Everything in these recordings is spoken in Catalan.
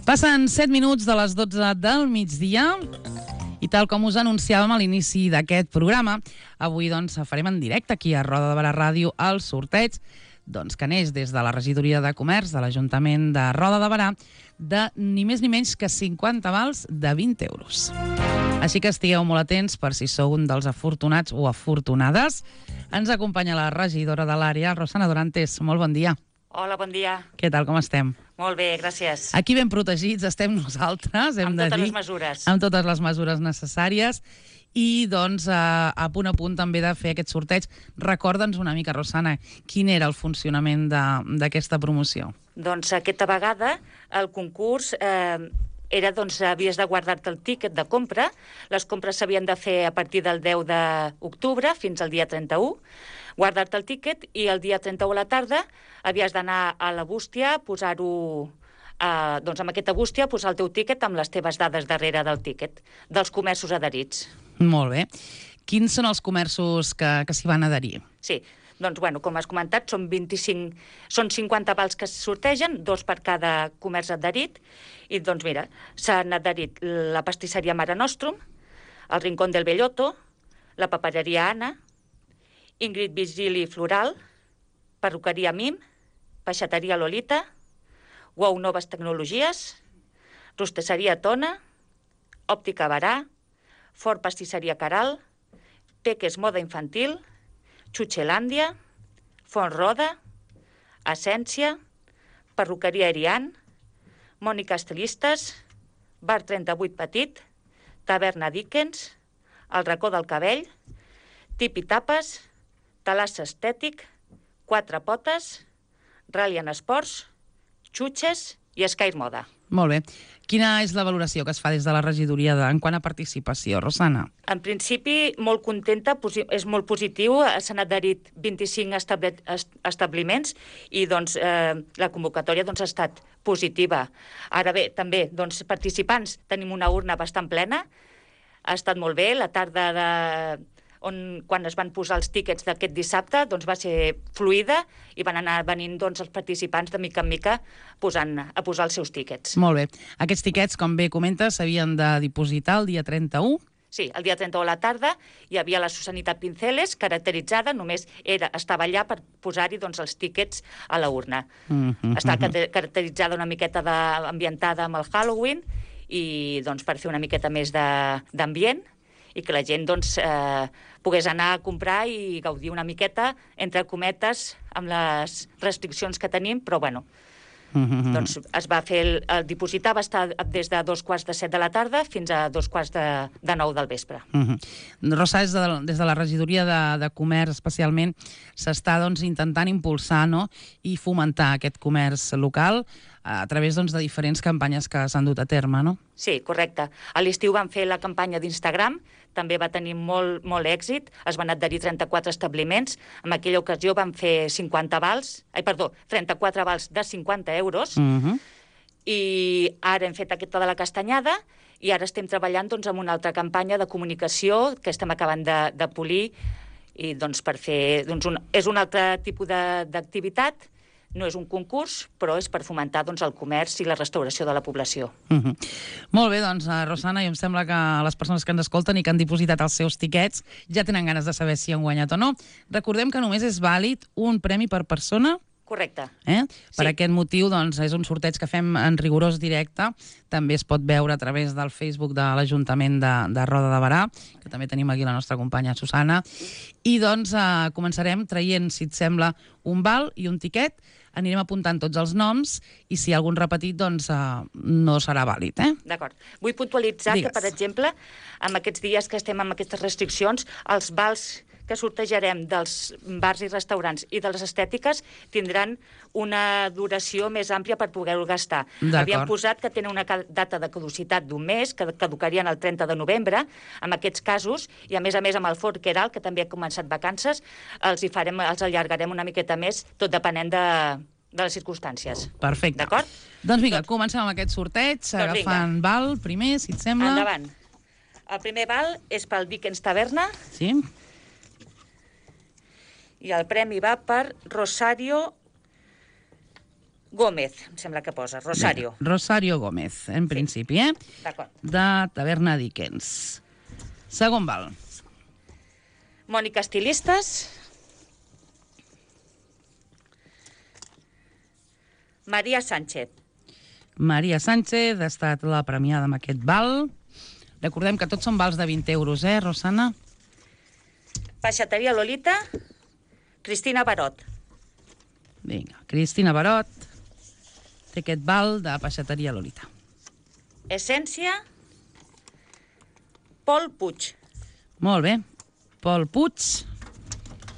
Passen 7 minuts de les 12 del migdia i tal com us anunciàvem a l'inici d'aquest programa, avui farem en directe aquí a Roda de Barà Ràdio el sorteig que neix des de la regidoria de comerç de l'Ajuntament de Roda de Barà de ni més ni menys que 50 vals de 20 euros. Així que estigueu molt atents per si sou un dels afortunats o afortunades. Ens acompanya la regidora de l'àrea, Rosana Dorantes. Molt bon dia. Hola, bon dia. Què tal, com estem? Molt bé, gràcies. Aquí ben protegits estem nosaltres, hem de dir. Amb totes les mesures. Amb totes les mesures necessàries. I, a punt també de fer aquest sorteig. Recorda'ns una mica, Rosana, quin era el funcionament d'aquesta promoció? Doncs aquesta vegada el concurs era, havies de guardar-te el tíquet de compra. Les compres s'havien de fer a partir del 10 d'octubre fins al dia 31. Guardar-te el tíquet i el dia 31 a la tarda havies d'anar a la bústia, posar-ho amb aquesta bústia, posar el teu tíquet amb les teves dades darrere del tíquet, dels comerços adherits. Molt bé. Quins són els comerços que s'hi van adherir? Sí, com has comentat, són 50 vals que es sortegen, 2 per cada comerç adherit, i mira, s'han adherit la pastisseria Mare Nostrum, el Rincón del Bellotto, la papereria Anna, Ingrid Vigili Floral, perruqueria Mim, peixateria Lolita, Wow Noves Tecnologies, rostisseria Tona, òptica Barà, Fort Pastisseria Caral, Peques Moda Infantil, Xuxelàndia, Font Roda, Essència, perruqueria Erian, Mònica Estilistes, Bar 38 Petit, Taverna Dickens, El Racó del Cabell, Tip i Tapes, Talassa Estètic, Quatre Potes, Rallian Esports, Xutxes i Sky Moda. Molt bé. Quina és la valoració que es fa des de la regidoria en quant a participació, Rosana? En principi, molt contenta, és molt positiu. S'han adherit 25 establiments i la convocatòria ha estat positiva. Ara bé, també, participants, tenim una urna bastant plena. Ha estat molt bé. La tarda quan es van posar els tíquets d'aquest dissabte, va ser fluida i van anar venint els participants de mica en mica a posar els seus tíquets. Molt bé. Aquests tíquets, com bé comentes, s'havien de dipositar el dia 31? Sí, el dia 31 a la tarda hi havia la Susanita Pinceles, caracteritzada, només estava allà per posar-hi els tíquets a la urna. Està caracteritzada una miqueta ambientada amb el Halloween i per fer una miqueta més d'ambient i que la gent pogués anar a comprar i gaudir una miqueta, entre cometes, amb les restriccions que tenim, però bueno, es va fer, el dipositar va estar des de 2:45 de la tarda fins a 2:45 del vespre. Rosa, des de la regidoria de comerç especialment, s'està intentant impulsar i fomentar aquest comerç local a través de diferents campanyes que s'han dut a terme, no? Sí, correcte. A l'estiu van fer la campanya d'Instagram, també va tenir molt èxit, es van adherir 34 establiments, en aquella ocasió van fer 34 vals de 50 euros, i ara hem fet aquesta de la castanyada, i ara estem treballant amb una altra campanya de comunicació que estem acabant de polir, i per fer, és un altre tipus d'activitat. No és un concurs, però és per fomentar el comerç i la restauració de la població. Molt bé, Rosana, i em sembla que les persones que ens escolten i que han dipositat els seus tiquets ja tenen ganes de saber si han guanyat o no. Recordem que només és vàlid un premi per persona. Correcte. Per aquest motiu, és un sorteig que fem en rigorós directe. També es pot veure a través del Facebook de l'Ajuntament de Roda de Barà, que també tenim aquí la nostra companya Susana. I, començarem traient, si et sembla, un val i un tiquet. Anirem apuntant tots els noms i si hi ha algun repetit, no serà vàlid. D'acord. Vull puntualitzar que, per exemple, en aquests dies que estem amb aquestes restriccions, els vals que sortejarem dels bars i restaurants i de les estètiques tindran una duració més àmplia per poder-ho gastar. Havíem posat que tenen una data de caducitat d'un mes, que caducarien el 30 de novembre, en aquests casos, i a més amb el Fort Queralt, que també ha començat vacances, els allargarem una miqueta més, tot depenent de les circumstàncies. Perfecte. D'acord? Doncs vinga, comencem amb aquest sorteig, agafant val primer, si et sembla. Endavant. El primer val és pel Dickens Taverna. Sí. I el premi va per Rosario Gómez, em sembla que posa, Rosario. Vinga, Rosario Gómez, en principi, D'acord. de Taverna Dickens. Segon val. Mònica Estilistes. Maria Sánchez. Maria Sánchez ha estat la premiada amb aquest val. Recordem que tots són vals de 20 euros, Rosana? Peixateria Lolita. Cristina Barot. Vinga, Cristina Barot té aquest val de Peixateria Lolita. Essència. Pol Puig. Molt bé. Pol Puig,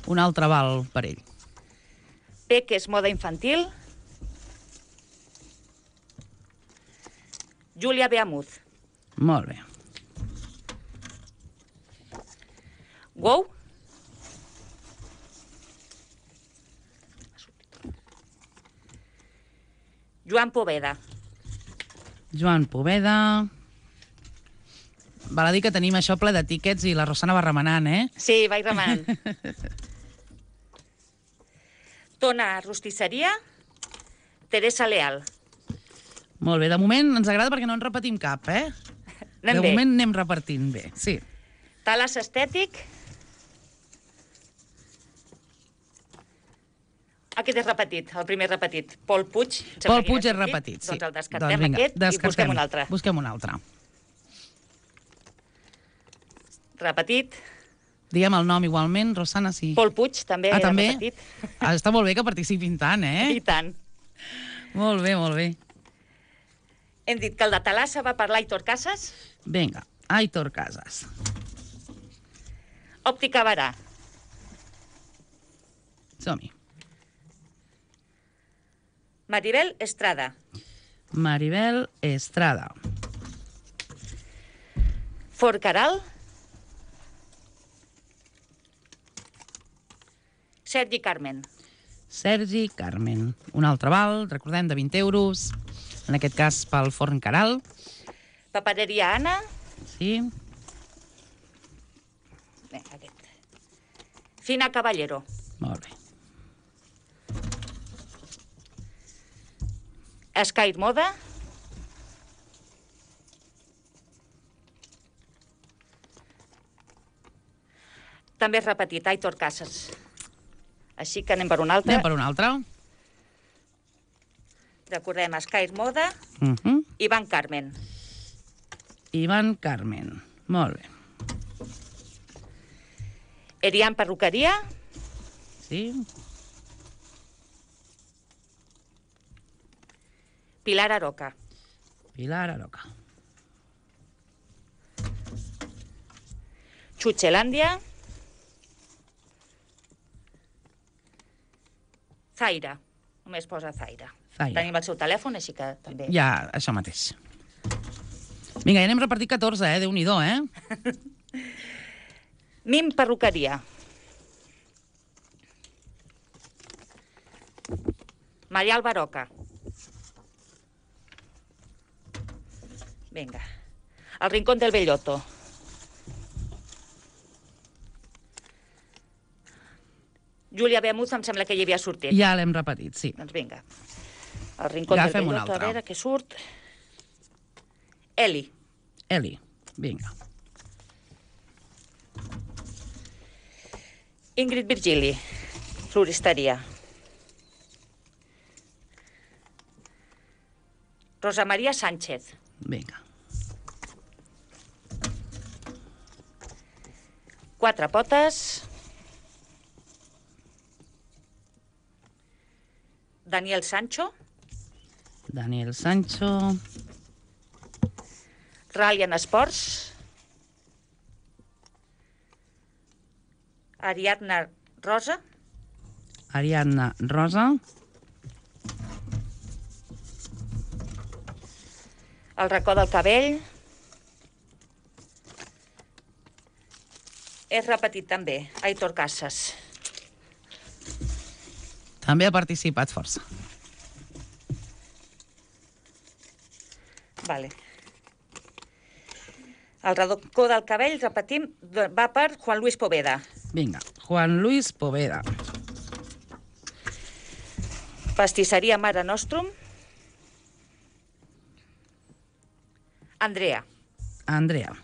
un altre val per ell. Peques Moda Infantil. Júlia Beamuz. Molt bé. Wow. Joan Poveda. Joan Poveda. Val a dir que tenim això ple de tíquets i la Rosana va remenant, Sí, vaig remenant. Tona Rostisseria. Teresa Leal. Molt bé, de moment ens agrada perquè no en repetim cap, Anem de bé. moment anem repartint bé, sí. Talas Estètic. Aquest és repetit, el primer repetit. Pol Puig. em sembla Pol que Puig ja és ha sortit. repetit, sí. Doncs el descartem, vinga, aquest, i busquem un altre. Busquem un altre. Repetit. Diguem el nom igualment, Rosana, sí. Pol Puig, també era també? repetit. Està molt bé que participin tant, I tant. Molt bé, molt bé. Hem dit que el de Talassa va per l'Aitor Casas. Vinga, Aitor Casas. Òptica Barà. Som-hi. Maribel Estrada. Maribel Estrada. Forcaral. Sergi Carmen. Sergi Carmen. Un altre val, recordem, de 20 euros. En aquest cas pel Forn Caral. Papereria Anna. Sí. Bé, aquest. Fina Caballero. Molt bé. Sky Moda. També és repetit, Aitor Casas. Així que anem per un altre. Anem per un altre. Recordem Sky Moda. Uh-huh. Ivan Carmen. Ivan Carmen. Molt bé. Erian Perruqueria. Sí. Pilar Aroca. Pilar Aroca. Xuxelàndia. Zaira. Només posa Zaira. Zaira. Tenim el seu telèfon, així que també... Ja, això mateix. Vinga, ja n'hem repartit 14, Déu-n'hi-do, Mim Perruqueria. Maria Albaroca. Vinga. El Rincón del Bellotto. Júlia Beamuz, em sembla que hi havia sortit. Ja l'hem repetit, sí. Doncs vinga. El Rincón del Agafem un Bellotto, a altre. veure què surt. Eli. Eli, vinga. Ingrid Virgili. Floristeria. Rosa Maria Sánchez. Vinga. Quatre potes. Daniel Sancho. Daniel Sancho. Rallian Sports. Ariadna Rosa. Ariadna Rosa. El racó del cabell. És repetit també, Aitor Casas. També ha participat força. Vale. El racó del cabell, repetim, va per Juan Luis Poveda. Vinga, Juan Luis Poveda. Pastisseria Mare Nostrum. Andrea. Andrea.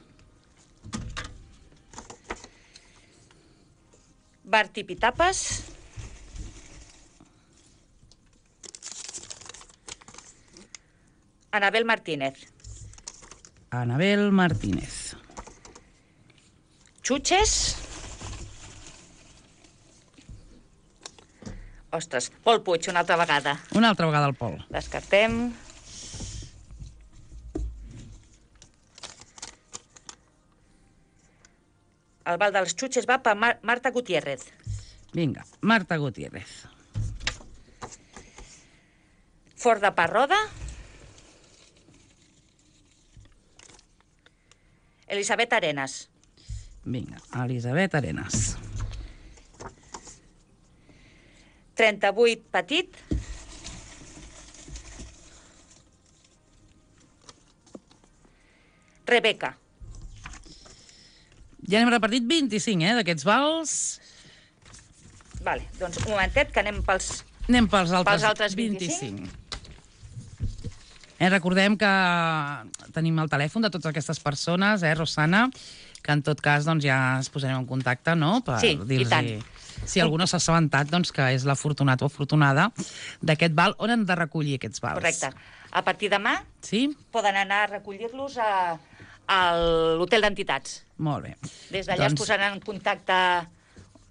Bar Tipitapes. Anabel Martínez. Anabel Martínez. Xuches. Ostres, Pol Puig, una altra vegada. Una altra vegada el Pol. Descartem. El bal dels Xuches va per Marta Gutiérrez. Vinga, Marta Gutiérrez. Fort de Parroda. Elisabet Arenas. Vinga, Elisabet Arenas. 38 Petit. Rebeca. Ja n'hem repartit 25, d'aquests vals. Vale, doncs un momentet, que anem pels... Anem pels altres 25. Recordem que tenim el telèfon de totes aquestes persones, Rosana, que en tot cas doncs, ja es posarem en contacte, no?, per sí, dir-los si algú no s'ha assabentat doncs, que és l'afortunat o afortunada d'aquest val. On han de recollir aquests vals? Correcte. A partir de demà poden anar a recollir-los a l'hotel d'entitats. Molt bé. Des d'allà es posaran en contacte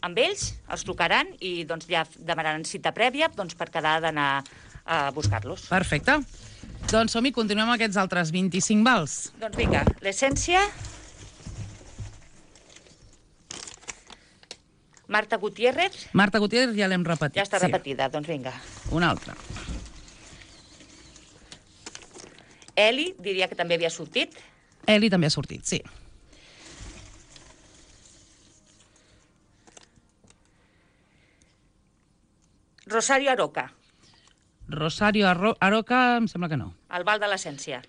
amb ells, els trucaran i doncs, ja demanaran cita prèvia per quedar d'anar a buscar-los. Perfecte. Doncs som-hi, continuem amb aquests altres 25 vals. Doncs vinga, l'essència... Marta Gutiérrez. Marta Gutiérrez ja l'hem repetit. Ja està repetida, doncs vinga. Una altra. Eli, diria que també havia sortit. Eli també ha sortit, sí. Rosario Aroca. Rosario Aroca, em sembla que no. El Val de l'Essència.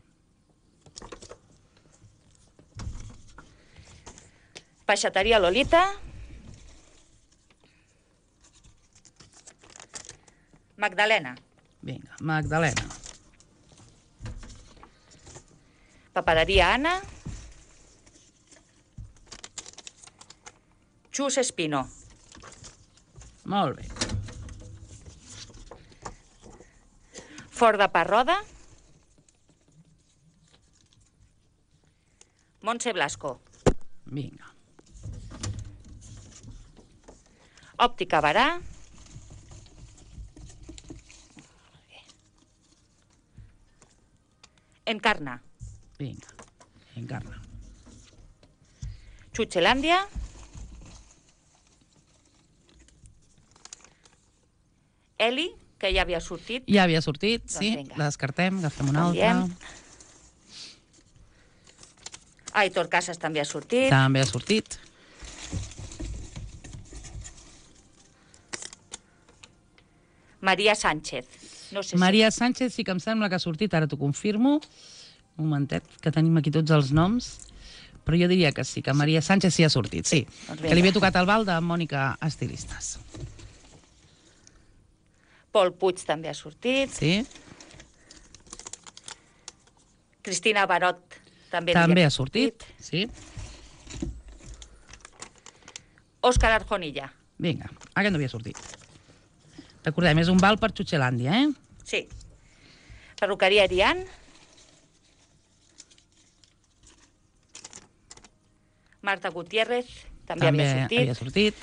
Peixateria Lolita. Magdalena. Vinga, Magdalena. Papereria Anna. Xus Espino. Molt bé. Fort de Parroda. Montse Blasco. Vinga. Òptica Barà. Encarna. Vinga, Encarna. Xuxelàndia. Eli, que ja havia sortit. Ja havia sortit, doncs sí. Vinga. La descartem, agafem una altra. Aitor Casas també ha sortit. També ha sortit. Maria Sánchez. No sé Maria Sánchez sí que em sembla que ha sortit, ara t'ho confirmo. Un momentet, que tenim aquí tots els noms. Però jo diria que sí, que Maria Sánchez sí ha sortit, sí. Que li havia tocat el val de Mònica Estilistes. Pol Puig també ha sortit. Sí. Cristina Barot també ha sortit, sí. Òscar Arjonilla. Vinga, aquest no havia sortit. Recordem, és un val per Xuxelàndia, Sí. Perruqueria Arián. Marta Gutiérrez també havia sortit.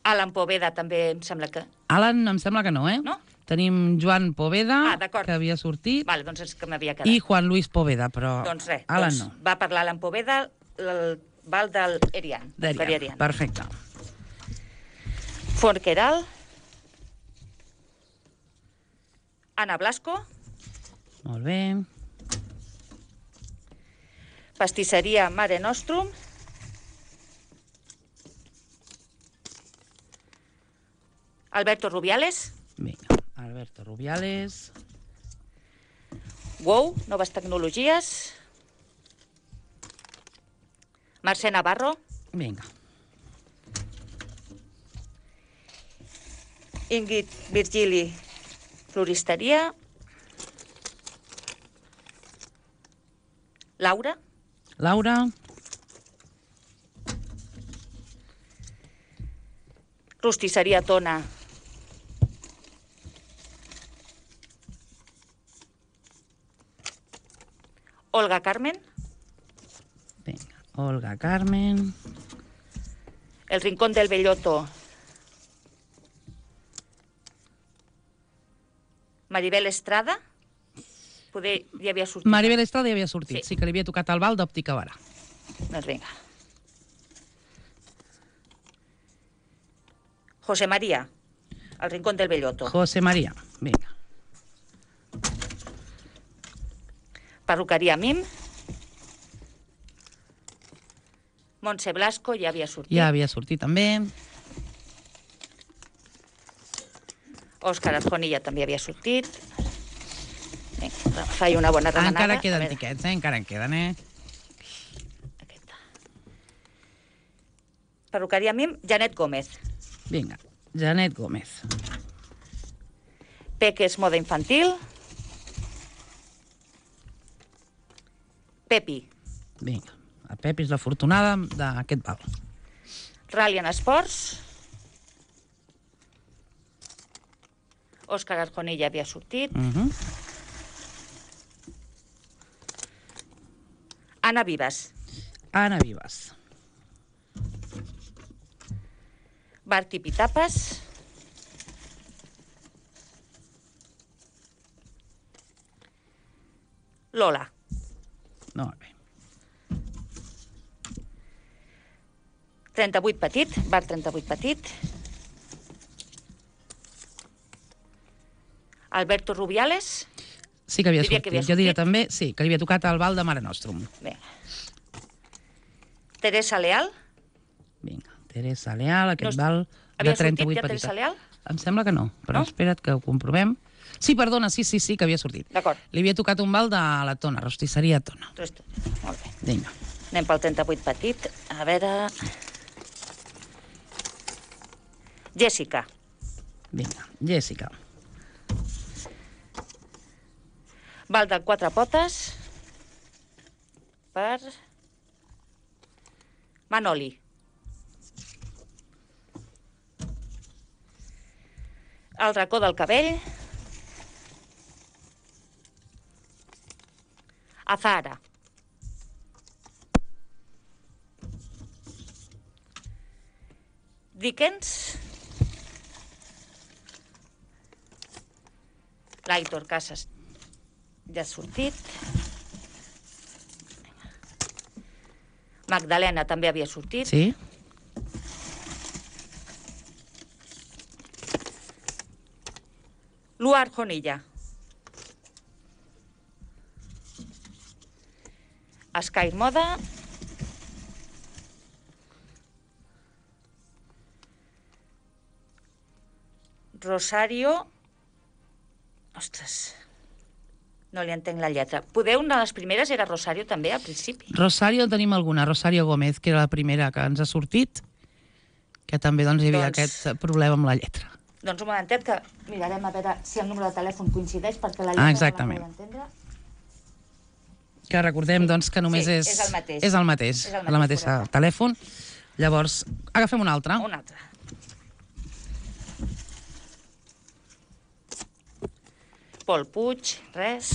Alan Poveda també em sembla que... Alan em sembla que no, No? Tenim Joan Poveda, que havia sortit. Vale, doncs és que m'havia quedat. I Juan Luis Poveda, però doncs res, Alan no. Va parlar Alan Poveda, el val del Erian. D'Erian, perfecte. Forqueral. Ana Blasco. Molt bé. Pastisseria Mare Nostrum. Alberto Rubiales. Vinga, Alberto Rubiales. Wow, Noves Tecnologies. Mercè Navarro. Vinga. Ingrid Virgili, floristeria. Laura. Laura. Rostisseria Tona. Olga Carmen. Vinga, Olga Carmen. El Rincón del Bellotto. Maribel Estrada. Poder ja havia sortit. Maribel Estrada ja havia sortit, Sí. sí que li havia tocat el val d'Òptica Barà. Doncs vinga. José María. El Rincón del Bellotto. José María, vinga. Perruqueria Mim. Montse Blasco ja havia sortit. Ja havia sortit també. Òscar Arjonilla també havia sortit. Vinga, faig una bona remenada. Encara queden tiquets, encara en queden, Aquesta. Perruqueria Mim, Janet Gómez. Vinga, Janet Gómez. Peques Moda Infantil. Pepi. Vinga, la Pepi és l'afortunada d'aquest val. Rallian Esports. Òscar Arjonilla havia sortit. Anna Vives. Anna Vives. Barti Pitapes. Lola. Molt bé. 38 petit, bar 38 petit. Alberto Rubiales. Sí que havia Diria sortit. que havia Jo diria sortit. també, sí, que li havia tocat el val de Mare Nostrum. Vinga. Teresa Leal. Vinga, Teresa Leal, aquest No, val de havia sortit 38 ja petita. Teresa Leal? Em sembla que no, però No? espera't que ho comprovem. Sí, perdona, sí, que havia sortit. D'acord. Li havia tocat un val de la Tona, rostisseria Tona. Molt bé. Vinga. Anem pel 38 petit. A veure... Jessica. Vinga, Jessica. Val de 4 potes per Manoli. El racó del cabell. Azahara. Dickens. L'Aitor Casas ja ha sortit. Magdalena també havia sortit. Sí? Lua Arjonilla. Sky Moda. Rosario. Ostres, no li entenc la lletra. Poder una de les primeres era Rosario també, al principi. Rosario, tenim alguna. Rosario Gómez, que era la primera que ens ha sortit, que també doncs, hi havia aquest problema amb la lletra. Doncs un momentet que mirarem a veure si el número de telèfon coincideix, perquè la lletra exactament. no la puc entendre. Que recordem doncs, que només Sí, és... és el mateix. És el mateix, És el mateix, la mateixa correcte. telèfon. Llavors, agafem un altre. Un altre. Pol Puig, res.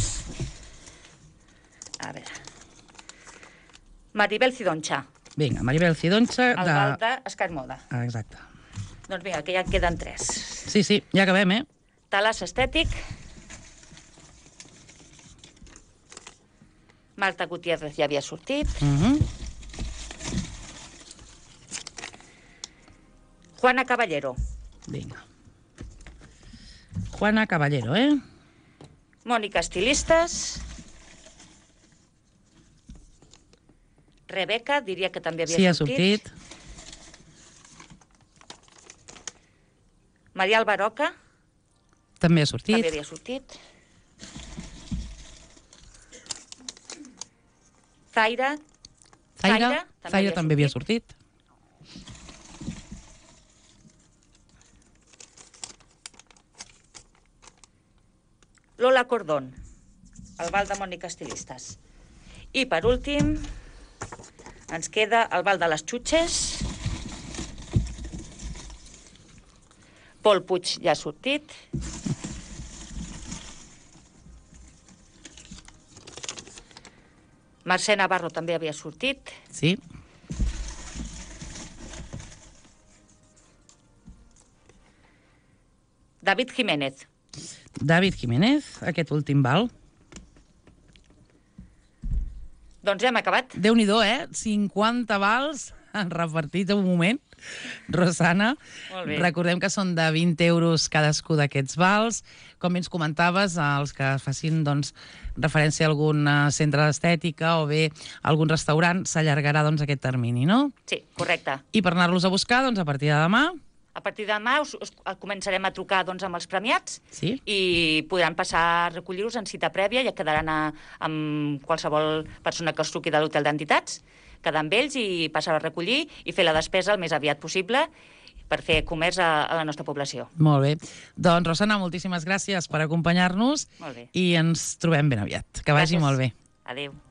A veure. Maribel Cidoncha, Vinga, Maribel Cidoncha. el val de Sky Moda. Exacte. Doncs vinga, que ja en queden 3. Sí, ja acabem, Talas Estètic. Marta Gutiérrez ja havia sortit. Juana Caballero. Vinga. Juana Caballero, Mònica Estilistes. Rebeca, diria que també havia Sí, ha sortit. sortit. Maria Albaroca, També ha també sortit. havia sortit. Zaira. Zaira també havia sortit. Lola Cordón, el Val de Mònica Estilistes. I per últim ens queda el Val de les Xutxes. Pol Puig ja ha sortit. Mercè Navarro també havia sortit. Sí. David Jiménez. David Jiménez, aquest últim val. Doncs ja hem acabat. Déu-n'hi-do, 50 vals repartits en un moment. Rosana, recordem que són de 20 euros cadascú d'aquests vals. Com ens comentaves, els que facin referència a algun centre d'estètica o bé a algun restaurant, s'allargarà aquest termini, no? Sí, correcte. I per anar-los a buscar, a partir de demà... A partir de demà començarem a trucar amb els premiats i podran passar a recollir-los en cita prèvia, ja quedaran amb qualsevol persona que els truqui de l'hotel d'entitats, quedar amb ells i passar a recollir i fer la despesa el més aviat possible per fer comerç a la nostra població. Molt bé. Doncs, Rosana, moltíssimes gràcies per acompanyar-nos i ens trobem ben aviat. Que vagi molt bé. Adéu.